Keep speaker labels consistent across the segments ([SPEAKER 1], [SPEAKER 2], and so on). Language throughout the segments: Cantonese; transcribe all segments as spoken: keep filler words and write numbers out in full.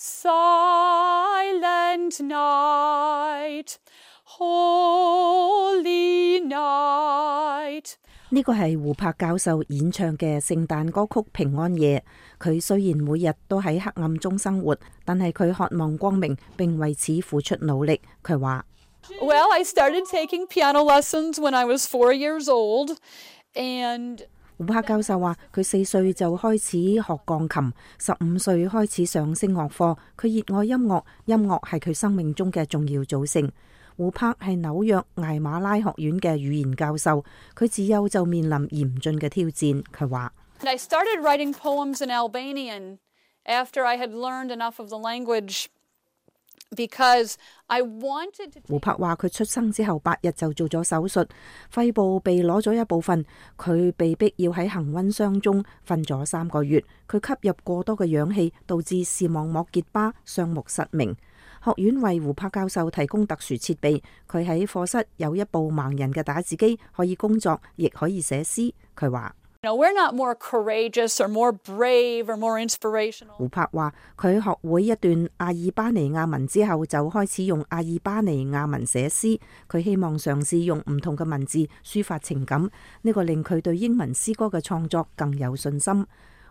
[SPEAKER 1] Silent night, holy night。
[SPEAKER 2] 呢個係胡柏教授演唱嘅聖誕歌曲《平安夜》。佢雖然每日都喺黑暗中生活，但係佢渴望光明，並為此付出努力。佢話
[SPEAKER 1] ：Well, I started taking piano lessons when I was four years old, and
[SPEAKER 2] 胡柏教授話佢四歲就開始學鋼琴，十五歲開始上聲樂課。佢熱愛音樂，音樂係佢生命中嘅重要組成。胡柏係紐約艾馬拉學院嘅語言教授，佢自幼就面臨嚴峻嘅挑戰。佢話
[SPEAKER 1] I started writing poems in Albanian after I had learned enough of the language because I wanted to。
[SPEAKER 2] 胡柏話佢出生之後八日就做咗手術，肺部被攞咗一部分，佢被逼要喺恒溫箱中瞓咗三個月。佢吸入過多嘅氧氣，導致視網膜結疤，雙目失明。學院為胡柏教授提供特殊設備，佢喺課室有一部盲人嘅打字機，可以工作，亦可以寫詩。佢話
[SPEAKER 1] ：We're not more courageous or more brave or more inspirational。
[SPEAKER 2] 胡柏話佢學會一段阿爾巴尼亞文之後，就開始用阿爾巴尼亞文寫詩。佢希望嘗試用唔同嘅文字抒發情感，呢個令佢對英文詩歌嘅創作更有信心。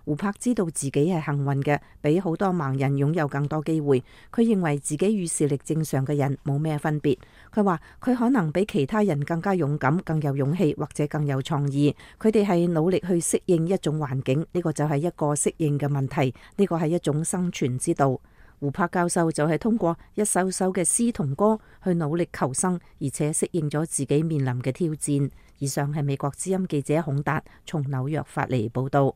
[SPEAKER 2] 胡柏知道自己係幸運嘅，比好多盲人擁有更多機會。佢認為自己與視力正常嘅人冇咩分別。佢話佢可能比其他人更加勇敢、更有勇氣或者更有創意。佢哋係努力去適應一種環境，呢個就係一個適應嘅問題，呢個係一種生存之道。胡柏教授就係通過一首首嘅詩同歌去努力求生，而且適應咗自己面臨嘅挑戰。以上係美國之音記者孔達從紐約發嚟報道。